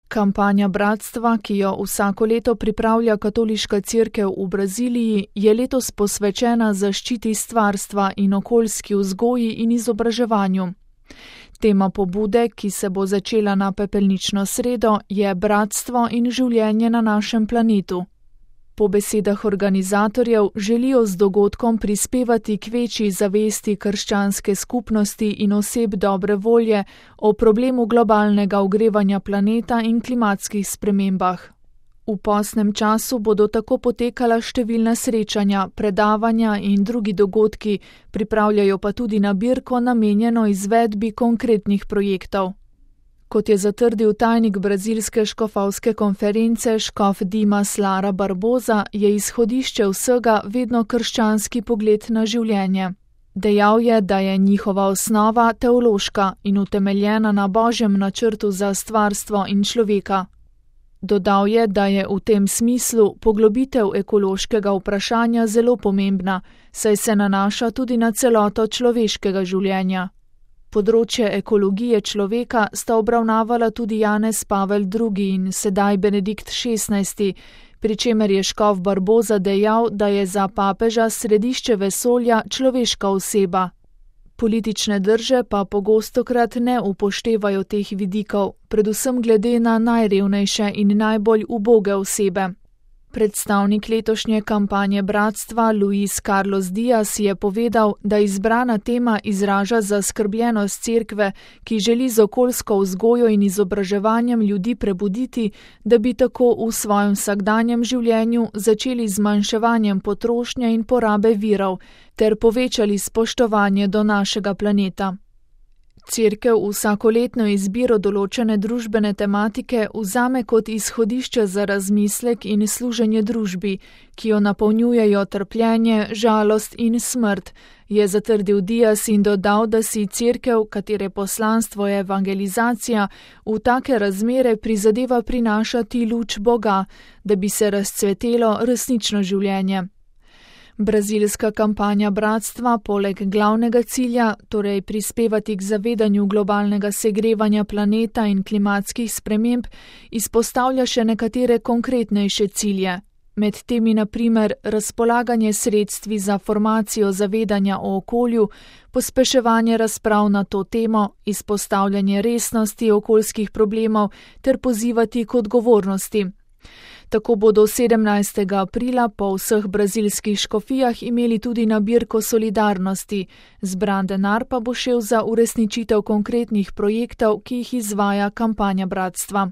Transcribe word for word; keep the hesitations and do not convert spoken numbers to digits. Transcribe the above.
Kampanja bratstva, ki jo vsako leto pripravlja Katoliška cerkev v Braziliji, je letos posvečena zaščiti stvarstva in okoljski vzgoji in izobraževanju. Tema pobude, ki se bo začela na pepelnično sredo, je bratstvo in življenje na našem planetu. Po besedah organizatorjev želijo z dogodkom prispevati k večji zavesti krščanske skupnosti in oseb dobre volje o problemu globalnega ogrevanja planeta in klimatskih spremembah. V postnem času bodo tako potekala številna srečanja, predavanja in drugi dogodki, pripravljajo pa tudi nabirko namenjeno izvedbi konkretnih projektov. Kot je zatrdil tajnik brazilske škofovske konference škof Dimas Lara Barbosa, je izhodišče vsega vedno krščanski pogled na življenje. Dejal je, da je njihova osnova teološka in utemeljena na Božjem načrtu za stvarstvo in človeka. Dodal je, da je v tem smislu poglobitev ekološkega vprašanja zelo pomembna, saj se nanaša tudi na celoto človeškega življenja. Področje ekologije človeka sta obravnavala tudi Janez Pavel drugi in sedaj Benedikt šestnajsti, pri čemer je škof Barbosa dejal, da je za papeža središče vesolja človeška oseba. Politične drže pa pogostokrat ne upoštevajo teh vidikov, predvsem glede na najrevnejše in najbolj uboge osebe. Predstavnik letošnje kampanje bratstva Luis Carlos Dias je povedal, da izbrana tema izraža zaskrbljenost cerkve, ki želi z okoljsko vzgojo in izobraževanjem ljudi prebuditi, da bi tako v svojem vsakdanjem življenju začeli z zmanjševanjem potrošnje in porabe virov ter povečali spoštovanje do našega planeta. Cerkev vsakoletno izbiro določene družbene tematike vzame kot izhodišče za razmislek in služenje družbi, ki jo napolnjujejo trpljenje, žalost in smrt, je zatrdil Dias in dodal, da si cerkev, katere poslanstvo je evangelizacija, v take razmere prizadeva prinašati luč Boga, da bi se razcvetelo resnično življenje. Brazilska kampanja bratstva poleg glavnega cilja, torej prispevati k zavedanju globalnega segrevanja planeta in klimatskih sprememb, izpostavlja še nekatere konkretnejše cilje. Med temi na primer razpolaganje sredstvi za formacijo zavedanja o okolju, pospeševanje razprav na to temo, izpostavljanje resnosti okoljskih problemov ter pozivati k odgovornosti. Tako bodo sedemnajstega aprila po vseh brazilskih škofijah imeli tudi nabirko solidarnosti, zbran denar pa bo šel za uresničitev konkretnih projektov, ki jih izvaja kampanja bratstva.